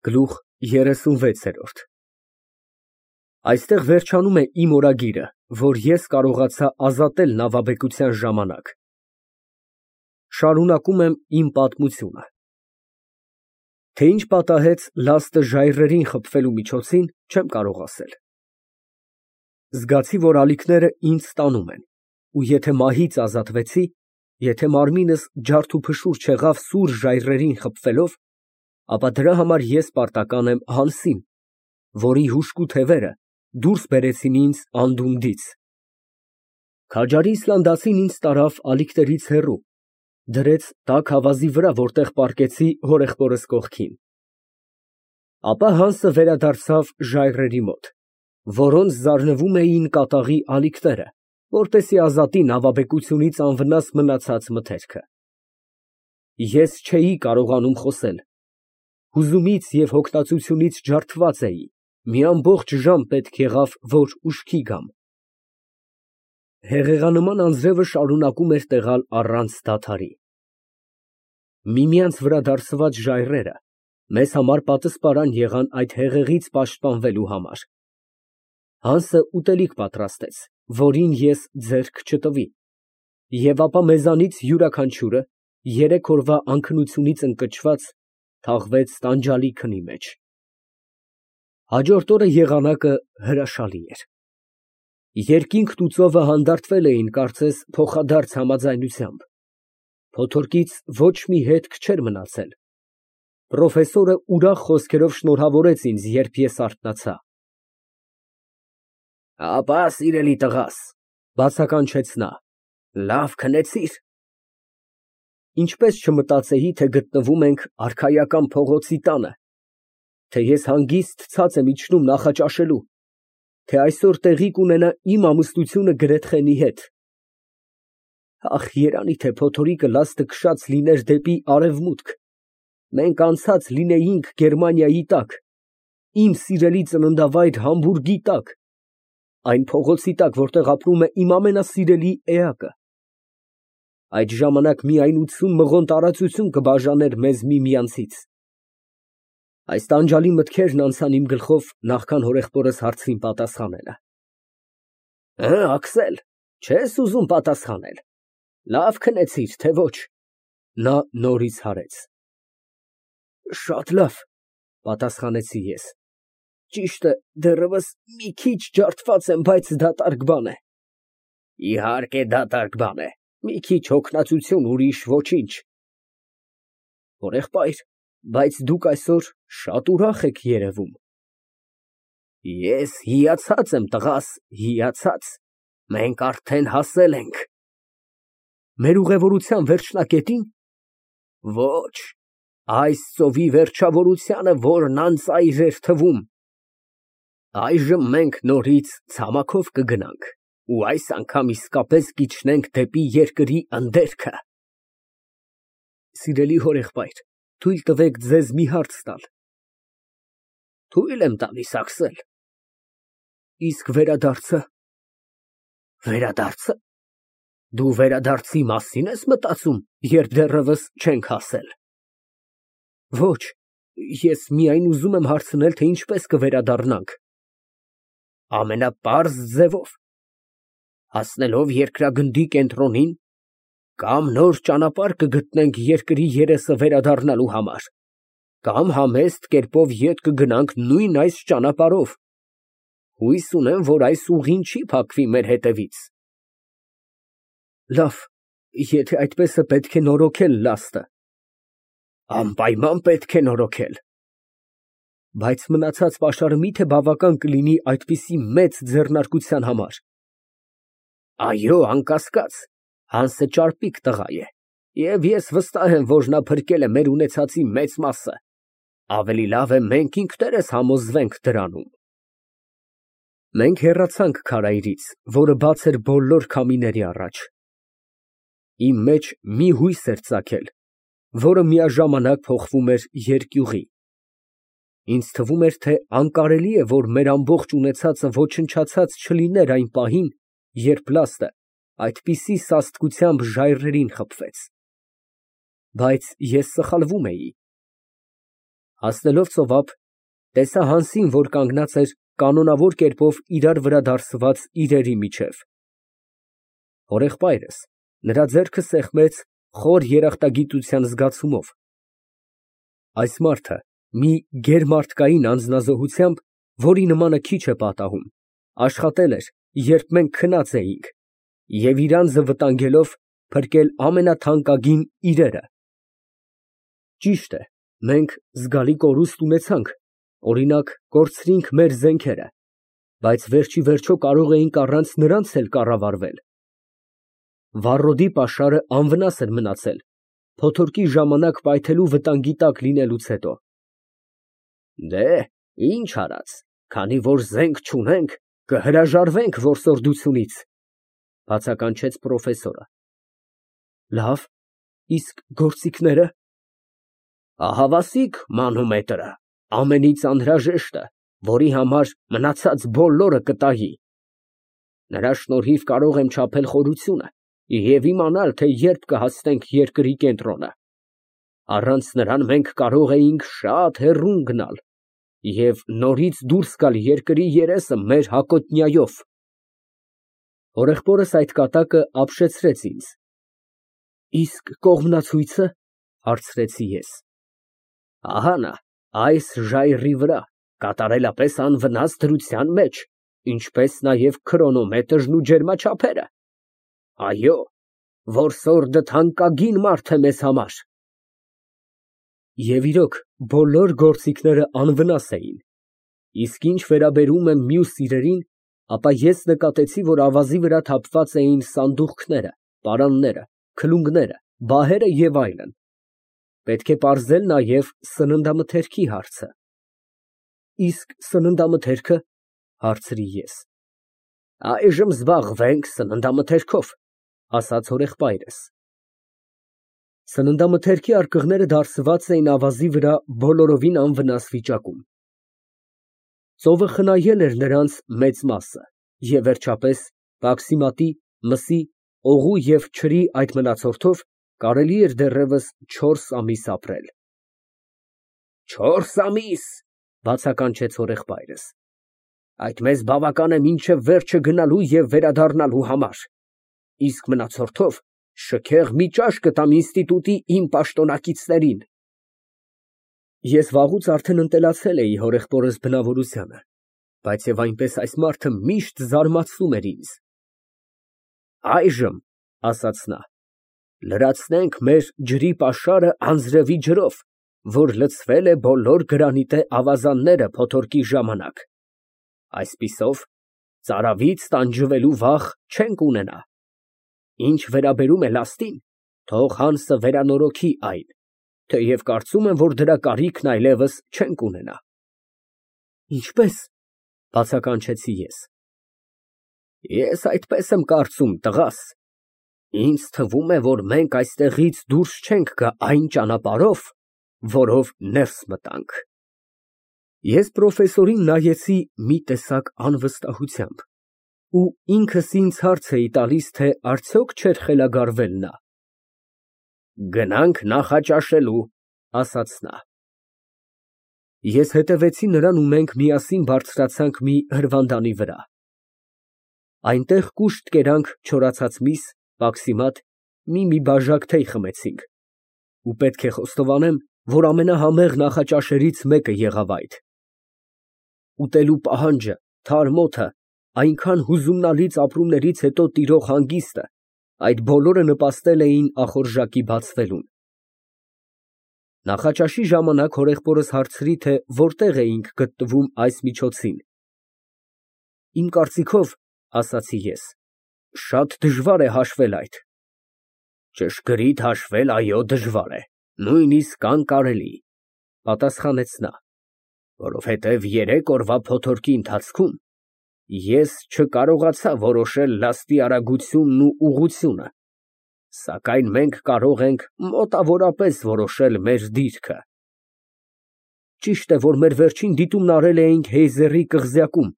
Գլուխ 36 Այստեղ վերջանում է իմ օրագիրը, որ ես կարողացա ազատել նավաբեկության ժամանակ։ Շարունակում եմ իմ պատմությունը։ Թե ինչ պատահեց լաստը ժայռերին խփվելու միջոցին, չեմ կարող ասել։ Զգացի, որ ալիքները ինձ տանում են, ու եթե մահից ազատվեցի, եթե մարմինս ջարդուփշուր չեղավ սուր ժայռերին խփվելով, ապա դրա համար ես պարտական եմ Հանսին, որի հուժկու թևերը դուրս բերեցին ինձ անդունդից։ Քաջարի Իսլանդացին ինձ տարավ ալիքներից հեռու, դրեց տաք ավազի վրա, որտեղ պառկեցի հորեղբորս կողքին։ Ապա Հանսը վերադարձավ ժայռերի մոտ, որոնց զարնվում էին կատաղի ալիքները, որպեսզի ազատի նավաբեկությունից անվնաս մնացած մթերքը։ Ես չէի կարողանում խոսել, հուզումից և հոգնածությունից ջարդված էի, մի ամբողջ ժամ պետք եղավ, որ ուշքի գամ։ Հեղեղանման անձրևը շարունակում էր տեղալ առանց դադարի։ Միմյանց վրա դարսված ժայռերը մեզ համար պատսպարան եղան այդ հեղեղից պաշտպանվելու համար։ Հանսը ուտելիք պատրաստեց, որին ես ձեռք չտվի, և ապա մեզանից յուրաքանչյուրը, 3 օրվա անքնությունից ընկճված, թաղվեց տանջալի քնի մեջ։ Հաջորդ օրը եղանակը հրաշալի էր։ Երկինքն ու ծովը հանդարտվել էին, կարծես փոխադարձ համաձայնությամբ։ Փոթորկից ոչ մի հետք չէր մնացել։ Պրոֆեսորը ուրախ խոսքերով շնորհավորեց ինձ, երբ ես արթնացա։ Ապա, սիրելի տղաս, բացականչեց նա, լավ քնեցի՞ր։ Ինչպես չմտածեի, թե գտնվում ենք արքայական փողոցի տանը, թե ես հանգիստ ցած եմ իջնում նախաճաշելու, թե այսօր տեղի կունենա իմ ամուսնությունը Գրեթխենի հետ։ Ախ, երանի թե փոթորիկը լաստը քշած լիներ դեպի արևմուտք, մենք անցած լինեինք Գերմանիայի տակ, իմ սիրելի ծննդավայր Համբուրգի տակ, այն փողոցի տակ, որտեղ ապրում է իմ ամենասիրելի էակը։ Այդ ժամանակ միայն 80 մղոն տարածություն կբաժաներ մեզ միմյանցից։ Այս տանջալի մտքերն անցան իմ գլխով, նախքան հորեղբորս հարցրին պատասխանելը։ Աքսել, չես ուզում պատասխանել, լավ քնեցիր, թե ոչ։ Նա նորից հարեց։ Շատ լավ, պատասխանեցի ես։ Ճիշտ է, դեռևս մի քիչ ջարդված եմ, բայց դատարկ բան է։ Իհարկե դատարկ բան է, մի քիչ հոգնածություն, ուրիշ ոչինչ։ Հորեղբայր, բայց դուք այսօր շատ ուրախ եք երևում։ Ես հիացած եմ, տղաս, հիացած, մենք արդեն հասել ենք։ Մեր ուղևորության վերջնակետի՞ն։ Ոչ, այս ծովի վերջավորությանը, որն անծայր էր թվում։ Այժմ մենք նորից ցամաքով կգնանք ու այս անգամ իսկապես կիջնենք դեպի երկրի ընդերքը։ Սիրելի հորեղբայր, թույլ տվեք ձեզ մի հարց տալ։ Թույլ եմ տալիս, Աքսել։ Իսկ վերադարձը։ Վերադարձը։ Դու վերադարձի մասին ես մտածում, երբ դեռևս չենք հասել։ Ոչ, ես միայն ուզում եմ հարցնել, թե ինչպես կվերադառնանք։ Ամենապարզ ձևով։ Հասնելով երկրագնդի կենտրոնին, կամ նոր ճանապարհ կգտնենք երկրի երեսը վերադառնալու համար, կամ համեստ կերպով ետ կգնանք նույն այս ճանապարհով։ Հույս ունեմ, որ այս ուղին չի փակվի մեր հետևից։ Լավ, եթե այդպես է, պետք է նորոգել լաստը։ Անպայման պետք է նորոգել։ Բայց մնացած պաշարը մի՞թե բավական կլինի այդպիսի մեծ ձեռնարկության համար։ Այո, անկասկած, Հանսը ճարպիկ տղա է, և ես վստահ եմ, որ նա փրկել է մեր ունեցածի մեծ մասը։ Ավելի լավ է մենք ինքներս համոզվենք դրանում։ Մենք հեռացանք քարայրից, որը բաց էր բոլոր քամիների առաջ։ Իմ մեջ մի հույս էր ծագել, որը միաժամանակ փոխվում էր երկյուղի։ Ինձ թվում էր, թե անկարելի է, որ մեր ամբողջ ունեցածը ոչնչացած չլիներ այն պահին, երբ լաստը այդպիսի սաստկությամբ ժայռերին խփվեց։ Բայց ես սխալվում էի։ Հասնելով ծովափ, տեսա Հանսին, որ կանգնած էր կանոնավոր կերպով իրար վրա դարսված իրերի միջև։ Հորեղբայրս նրա ձեռքը սեղմեց խոր երախտագիտության զգացումով։ Այս մարդը մի գերմարդկային անձնազոհությամբ, որի նմանը քիչ է պատահում, աշխատել էր, երբ մենք քնած էինք, և իր անձը վտանգելով փրկել ամենաթանկագին իրերը։ Ճիշտ է, մենք զգալի կորուստ ունեցանք, օրինակ, կորցրինք մեր զենքերը, բայց վերջիվերջո կարող էինք առանց նրանց էլ կառավարվել։ Վառոդի պաշարը անվնաս էր մնացել, փոթորկի ժամանակ պայթելու վտանգի տակ լինելուց հետո։ Դե, ինչ արած, քանի որ զենք չունենք, կհրաժարվենք որսորդությունից, բացականչեց պրոֆեսորը։ Լավ, իսկ գործիքները։ Ահավասիկ մանոմետրը, ամենից անհրաժեշտը, որի համար մնացած բոլորը կտայի։ Նրա շնորհիվ կարող եմ չափել խորությունը և իմանալ, թե երբ կհասնենք երկրի կենտրոնը։ Առանց նրան մենք կարող էինք շատ հեռու գնալ և նորից դուրս գալ երկրի երեսը մեր հակոտնյայով։ Հորեղբորս այդ կատակը ապշեցրեց ինձ։ Իսկ կողմնացույցը, հարցրեցի ես։ Ահա նա, այս ժայռի վրա, կատարելապես անվնաս դրության մեջ, ինչպես նաև քրոնոմետրն ու ջերմաչափերը։ Այո, որսորդը թանկագին մարդ է մեզ համար։ Եվ իրոք, բոլոր գործիքները անվնաս էին, իսկ ինչ վերաբերում է մյուս իրերին, ապա ես նկատեցի, որ ավազի վրա թափված էին սանդուղքները, պարանները, քլունգները, բահերը և այլն։ Պետք է պարզել նաև սննդամթերքի հարցը։ Իսկ սննդամթերքը, հարցրի ես։ Այժմ զբաղվենք սննդամթերքով, ասաց հորեղբայրս։ Սննդամթերքի արկղները դարսված էին ավազի վրա բոլորովին անվնաս վիճակում։ Ծովը խնայել էր նրանց մեծ մասը, և վերջապես, պաքսիմատի, մսի, օղու և չրի այդ մնացորդով կարելի էր դեռևս 4 ամիս ապրել։ 4 ամիս, բացականչեց հորեղբայրս, այդ մեզ բավական է մինչև վերջը գնալու և վերադառնալու համար, իսկ մնացորդով շքեղ մի ճաշ կտամ ինստիտուտի իմ պաշտոնակիցներին։ Ես վաղուց արդեն ընտելացել էի հորեղբորս բնավորությանը, բայց և այնպես այս մարդը միշտ զարմացնում էր ինձ։ Այժմ, ասաց նա, լրացնենք մեր ջրի պաշարը անձրևի ջրով, որ լցվել է բոլոր գրանիտե ավազանները փոթորկի ժամանակ։ Այսպիսով, ծարավից տանջվելու վախ չենք ունենա։ Ինչ վերաբերում է լաստին, թող Հանսը վերանորոգի այն, թեև կարծում եմ, որ դրա կարիքն այլևս չենք ունենա։ Ինչպե՞ս, բացականչեցի ես։ Ես այդպես եմ կարծում, տղաս։ Ինձ թվում է, որ մենք այստեղից դուրս չենք գա այն ճանապարհով, որով ներս մտանք։ Ես պրոֆեսորին նայեցի մի տեսակ անվստահությամբ, ու ինքս ինձ հարց էի տալիս, թե արդյոք չէր խելագարվել նա։ Գնանք նախաճաշելու, ասաց նա։ Ես հետևեցի նրան ու մենք միասին բարձրացանք մի հրվանդանի վրա։ Այնտեղ կուշտ կերանք չորացած միս, պաքսիմատ, մի բաժակ թեյ խմեցինք, ու պետք է խոստովանեմ, որ ամենահամեղ նախաճաշերից մեկը եղավ այդ։ Ուտելու պահանջը, թարմ օդը, այնքան հուզումնալից ապրումներից հետո տիրող հանգիստը, այդ բոլորը նպաստել էին ախորժակի բացվելուն։ Նախաճաշի ժամանակ հորեղբորս հարցրի, թե որտեղ էինք գտնվում այս միջոցին։ Իմ կարծիքով, ասացի ես, շատ դժվար է հաշվել այդ։ Ճշգրիտ հաշվել, այո, դժվար է, նույնիսկ անկարելի, պատասխանեց նա, որովհետև 3 օրվա փոթորկի ընթացքում ես չկարողացա որոշել լաստի արագությունն ու ուղղությունը, սակայն մենք կարող ենք մոտավորապես որոշել մեր դիրքը։ Ճիշտ է, որ մեր վերջին դիտումն արել էինք Հեյզերի կղզյակում։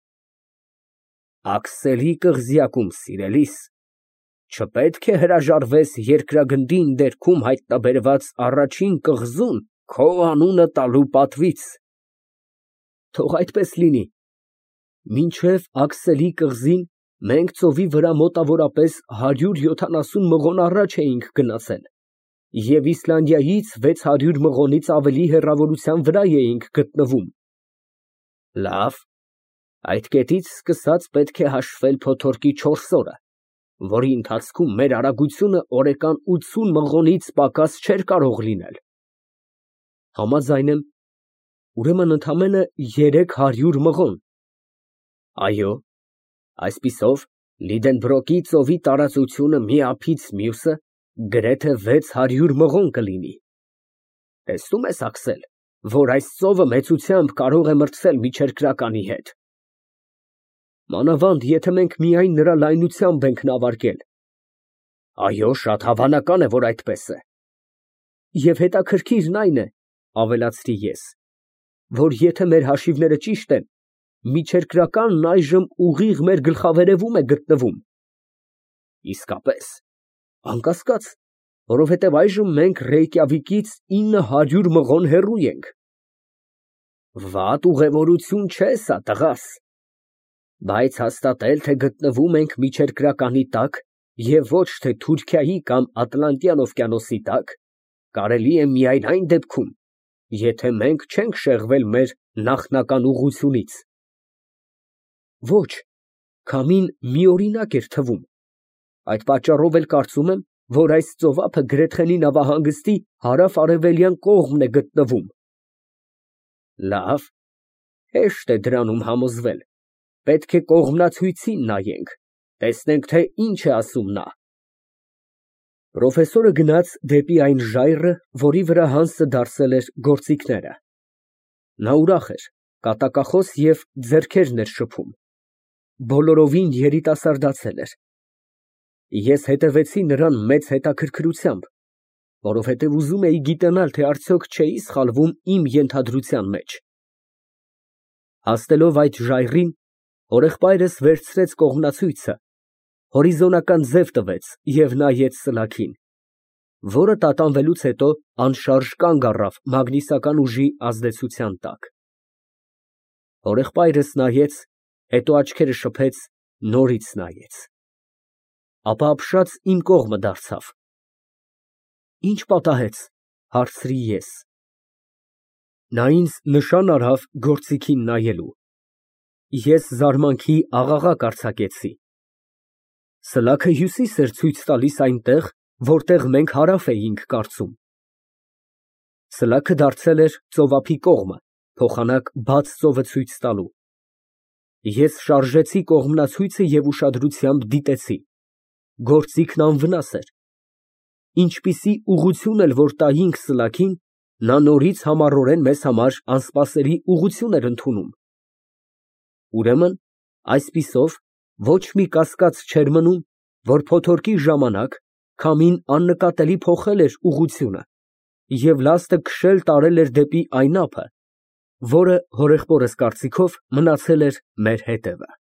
Աքսելի կղզյակում, սիրելիս, չպետք է հրաժարվես երկրագնդի ընդերքում հայտնաբերված առաջին կղզուն Քո անունը տալու պատվից։ Թող այդպես լինի։ Մինչև Աքսելի կղզին մենք ծովի վրա մոտավորապես 170 մղոն առաջ էինք գնացել և Իսլանդիայից 600 մղոնից ավելի հեռավորության վրա էինք գտնվում։ Լավ, այդ կետից սկսած պետք է հաշվել փոթորկի 4 օրը, որի ընթացքում մեր արագությունը օրեկան 80 մղոնից պակաս չէր կարող լինել։ Համաձայն եմ, ուրեմն ընդամենը 300 մղոն։ Այո, այսպիսով Լիդենբրոկի ծովի տարածությունը մի ափից մյուսը գրեթե 600 մղոն կլինի։ Տեսնում ես, Աքսել, որ այս ծովը մեծությամբ կարող է մրցել միջերկրականի հետ։ Մանավանդ, եթե մենք միայն նրա լայնությամբ ենք նավարկել։ Այո, շատ հավանական է, որ այդպես է։ Եվ հետաքրքիրն այն է, ավելացրի ես, որ եթե մեր հաշիվները ճիշտ են, միջերկրականն այժմ ուղիղ մեր գլխավերևում է գտնվում։ Իսկապես, անկասկած, որովհետև այժմ մենք Ռեյկյավիկից 900 մղոն հեռու ենք։ Վատ ուղևորություն չէ սա, տղաս, բայց հաստատել, թե գտնվում ենք միջերկրականի տակ և ոչ թե Թուրքիայի կամ Ատլանտյան օվկիանոսի տակ, կարելի է միայն այն դեպքում, եթե մենք չենք շեղվել մեր նախնական ուղղությունից։ Ոչ, քամին միօրինակ էր թվում։ Այդ պատճառով էլ կարծում եմ, որ այս ծովափը Գրեթխենի նավահանգստի հարավ֊արևելյան կողմն է գտնվում։ Լավ, հեշտ է դրանում համոզվել։ Պետք է կողմնացույցին նայենք, տեսնենք, թե ինչ է ասում նա։ Պրոֆեսորը գնաց դեպի այն ժայռը, որի վրա Հանսը դարսել էր գործիքները։ Նա ուրախ էր, կատակախոս և ձեռքերն էր շփում։ Բոլորովին երիտասարդացել էր։ Ես հետևեցի նրան մեծ հետաքրքրությամբ, որովհետև ուզում էի գիտենալ, թե արդյոք չէի սխալվում իմ ենթադրության մեջ։ Հասնելով այդ ժայռին, հորեղբայրս վերցրեց կողմնացույցը, հորիզոնական ձև տվեց և նայեց սլաքին, որը տատանվելուց հետո անշարժ կանգ առավ մագնիսական ուժի ազդեցության տակ։ Հորեղբայրս նայեց, հետո աչքերը շփեց, նորից նայեց, ապա ապշած իմ կողմը դարձավ։ Ինչ պատահեց, հարցրի ես։ Նա ինձ նշան արավ գործիքին նայելու։ Ես զարմանքի աղաղակ արձակեցի։ Սլաքը հյուսիս էր ցույց տալիս այնտեղ, որտեղ մենք հարավ էինք կարծում։ Սլաքը դարձել էր ծովափի կողմը, փոխանակ բաց ծովը ցույց տալու։ Ես շարժեցի կողմնացույցը և ուշադրությամբ դիտեցի։ Գործիքն անվնաս էր։ Ինչպիսի ուղղություն էլ որ տայինք սլաքին, նա նորից համառորեն մեզ համար անսպասելի ուղղություն էր ընդունում։ Ուրեմն, այսպիսով, ոչ մի կասկած չէր մնում, որ փոթորկի ժամանակ քամին աննկատելի փոխել էր ուղղությունը և լաստը քշել տարել էր դեպի այն ափը, որը, հորեղբորս կարծիքով, մնացել էր մեր հետևը։